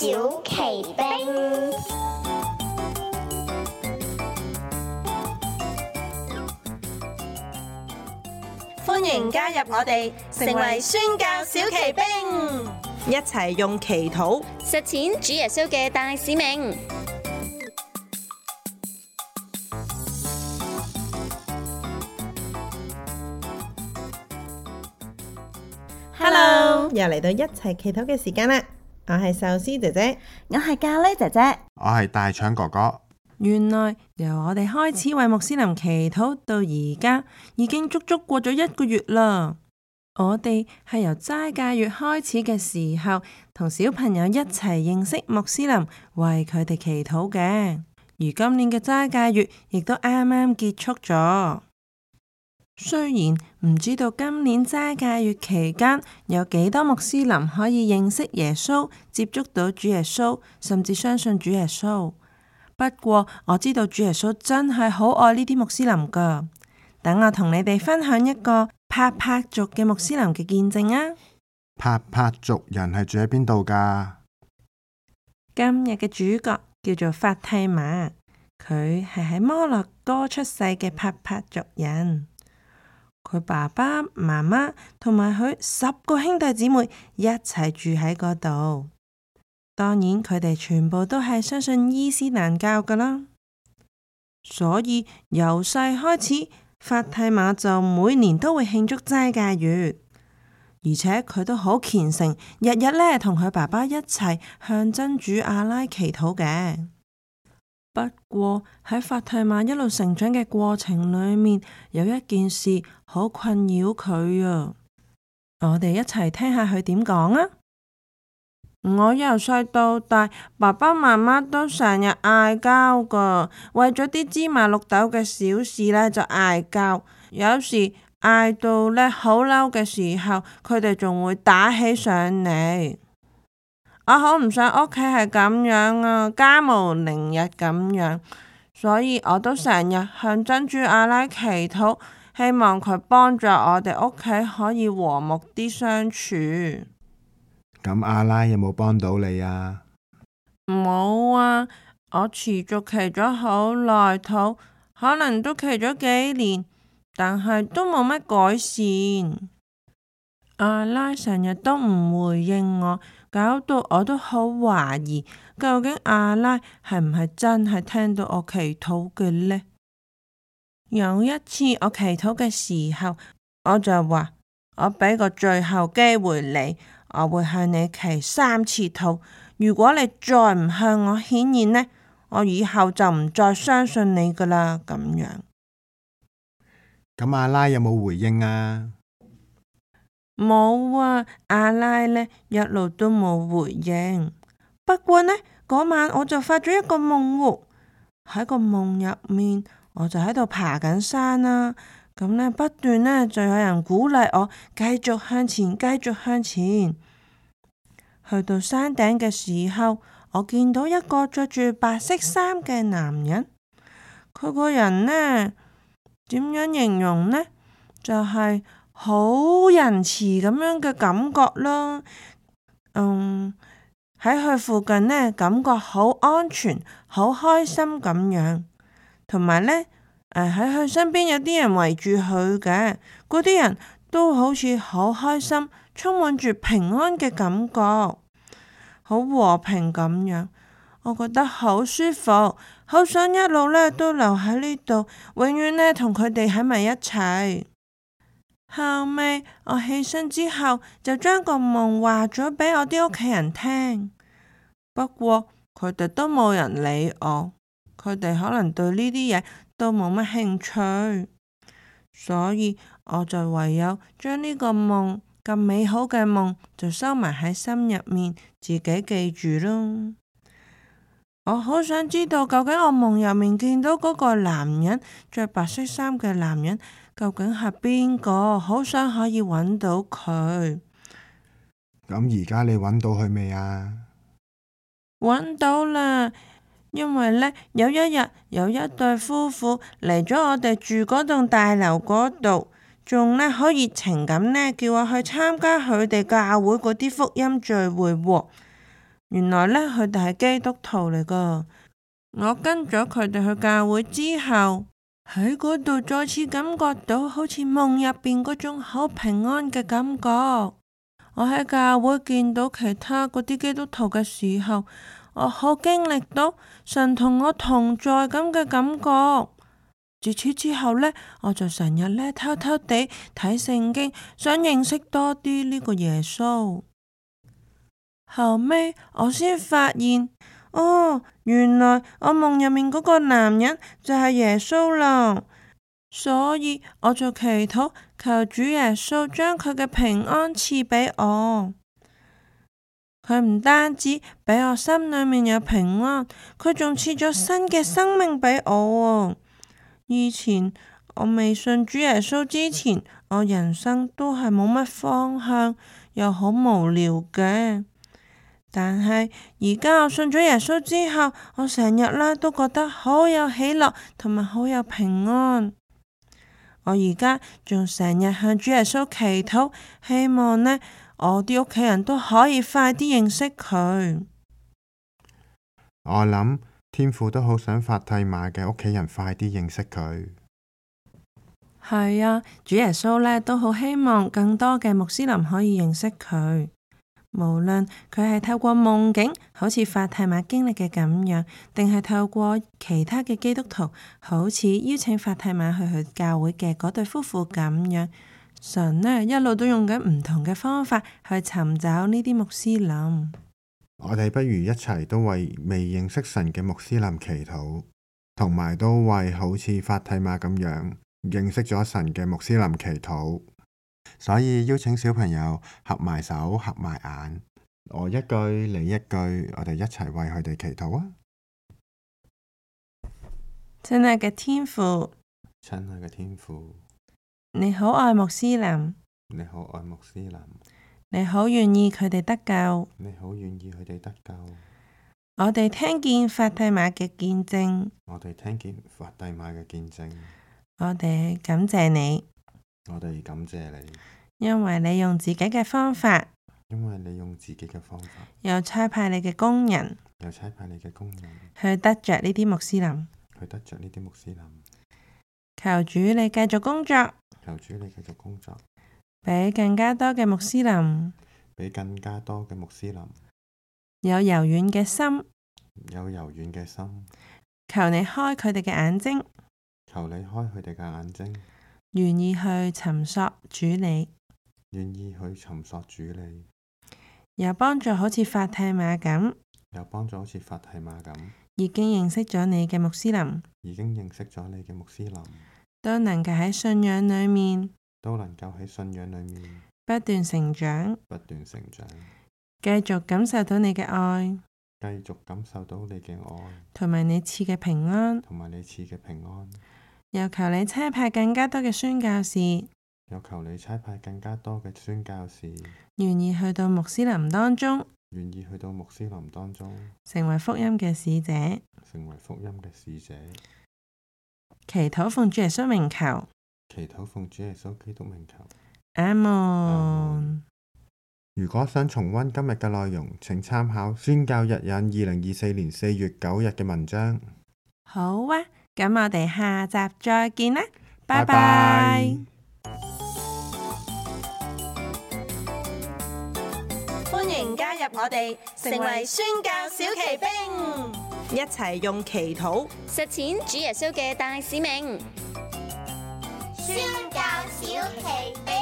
小奇兵，歡迎加入我哋，成為宣教小奇兵，一齊用祈禱實踐主耶穌嘅大使命。Hello，又嚟到一齊祈禱嘅時間啦！我係壽司姐姐，我係咖喱姐姐，我係大腸哥哥。原來由我哋開始為穆斯林祈禱到而家，已經足足過咗1個月啦。我哋係由齋戒月開始嘅時候，同小朋友一齊認識穆斯林，為佢哋祈禱嘅。而今年嘅齋戒月亦都啱啱結束咗。雖然唔知道今年齋戒月期間有幾多穆斯林可以認識耶穌、接觸到主耶穌，甚至相信主耶穌。不過我知道主耶穌真係好愛呢啲穆斯林㗎。等我同你哋分享一個帕帕族嘅穆斯林嘅見證啊！帕帕族人係住喺邊度㗎？今日嘅主角叫做法蒂瑪，佢係喺摩洛哥出世嘅帕帕族人。佢爸爸媽媽同埋佢10個兄弟姊妹一齊住喺嗰度。當然佢哋全部都係相信伊斯蘭教㗎啦。所以由細開始，法蒂瑪就每年都會慶祝齋戒月，而且佢都好虔誠，日日呢同佢爸爸一齊向真主阿拉祈禱嘅。不過喺法蒂瑪一路成長嘅過程裏面，有一件事好困擾佢啊！我哋一齊聽下佢點講啊！我由細到大，爸爸媽媽都成日嗌交噶，為咗啲芝麻綠豆嘅小事呢，就嗌交，有時嗌到呢好嬲嘅時候，佢哋仲會打起上嚟。我好唔想屋企係咁樣啊，家無寧日咁樣，所以我都成日向真主阿拉祈禱，希望佢幫助我哋屋企可以和睦啲相處。咁阿拉有冇幫到你啊？冇啊，我持續祈咗好耐禱，可能都祈咗幾年，但係都冇乜改善。阿拉成日都唔回應我，搞到我都好懷疑，究竟阿拉係唔係真係聽到我祈禱嘅呢？有一次我祈禱嘅時候，我就話我俾個最後機會你，我會向你祈3次禱。如果你再唔向我顯現呢，我以後就唔再相信你噶啦。咁樣。咁阿拉有冇回應啊？冇啊，阿拉呢一路都冇回應。不過呢，嗰晚我就發咗一個夢喎，喺個夢入面，我就喺度爬緊山啦。咁呢，不斷呢就有人鼓勵我繼續向前，繼續向前。去到山頂嘅時候，我見到一個着住白色衫嘅男人。佢個人呢，點樣形容呢？就係好仁慈咁樣嘅感覺啦。喺佢附近呢，感覺好安全，好開心咁樣。同埋呢，喺佢身邊有啲人圍住佢嘅，嗰啲人都好似好開心，充滿住平安嘅感覺，好和平咁樣。我覺得好舒服，好想一路呢都留喺呢度，永遠呢同佢哋喺埋一齊。後尾我起身之後，就將個夢話咗俾我啲屋企人聽。不過佢哋都冇人理我，佢哋可能對呢啲嘢都冇乜興趣，所以我就唯有將呢個夢咁美好嘅夢就收埋喺心入面，自己記住咯。我好想知道究竟我夢入面見到嗰個男人，着白色衫嘅男人究竟係邊個？好想可以揾到佢。咁而家你揾到佢未啊？揾到啦，因為呢，有一日有一對夫婦嚟咗我哋住嗰棟大樓嗰度，仲呢好熱情咁呢叫我去參加佢哋教會嗰啲福音聚會喎。原來呢，佢哋係基督徒嚟噶。我跟咗佢哋去教會之後，喺嗰度再次感覺到好似夢入邊嗰種好平安嘅感覺。我喺教會見到其他嗰啲基督徒嘅時候，我好經歷到神同我同在咁嘅感覺。自此之後呢，我就成日呢偷偷地睇聖經，想認識多啲呢個耶穌。後尾我先發現，原來我夢入面嗰個男人就係耶穌啦。所以我就祈禱求主耶穌將佢嘅平安賜俾我。佢唔單止俾我心裏面有平安，佢仲賜咗新嘅生命俾我。以前我未信主耶穌之前，我人生都係冇乜方向，又好無聊嘅。但係而家我信咗耶穌之後，我成日呢都覺得好有喜樂，同埋好有平安。我而家仲成日向主耶穌祈禱，希望呢我啲屋企人都可以快啲認識佢。我諗天父都好想法蒂瑪嘅屋企人快啲認識佢。係啊，主耶穌呢都好希望更多嘅穆斯林可以認識佢。無論佢係透過夢境，好似法蒂瑪經歷嘅咁樣，定係透過其他嘅基督徒，好似邀請法蒂瑪去教會嘅嗰對夫婦咁樣，神呢一路都用緊唔同嘅方法去尋找呢啲穆斯林。我哋不如一齊都為未認識神嘅穆斯林祈禱，同埋都為好似法蒂瑪咁樣認識咗神嘅穆斯林祈禱。所以邀請小朋友合埋手合埋眼，我一句你一句，我哋一齊為佢哋祈禱啊！親愛嘅天父，親愛嘅天父，你好愛穆斯林，你好愛穆斯林，你好願意佢哋得救，你好願意佢哋得救。我哋聽見法蒂瑪嘅見證，我哋聽見法蒂瑪嘅見證，我哋感謝你，我哋感謝你，因為你用自己嘅方法，因為你用自己嘅方法，又差派你嘅工人，又差派你嘅工人去得着呢啲穆斯林。去得着呢啲穆斯林。求主你繼續工作，求主你繼續工作，俾更加多嘅穆斯林俾更加多嘅穆斯林有柔軟嘅心，有柔軟嘅心。求你開佢哋嘅眼睛，求你開佢哋嘅眼睛，願意去尋索主你，願意去尋索主你，又幫助好似法蒂瑪咁，又幫助好似法蒂瑪咁，已經認識咗你嘅穆斯林，已經認識咗你嘅穆斯林，都能夠喺信仰裏面都能夠喺信仰裏面不斷成長，不斷成長，繼續感受到你嘅愛，繼續感受到你嘅愛，同埋你賜嘅平安。同埋你賜嘅平安。又求你差派更加多嘅宣教士，又求你差派更加多嘅宣教士，願意去到穆斯林當中，願意去到穆斯林當中，成為福音嘅使者。成為福音嘅使者。祈禱奉主耶穌名求，祈禱奉主耶穌基督名求。阿門。如果想重溫今日嘅內容，請參考宣教日引2024年4月9日嘅文章。好啊，咁我哋下集再見啦，拜拜拜。歡迎加入我哋，成為宣教小騎兵，一齊用祈禱實踐主耶穌嘅大使命。宣教小奇兵。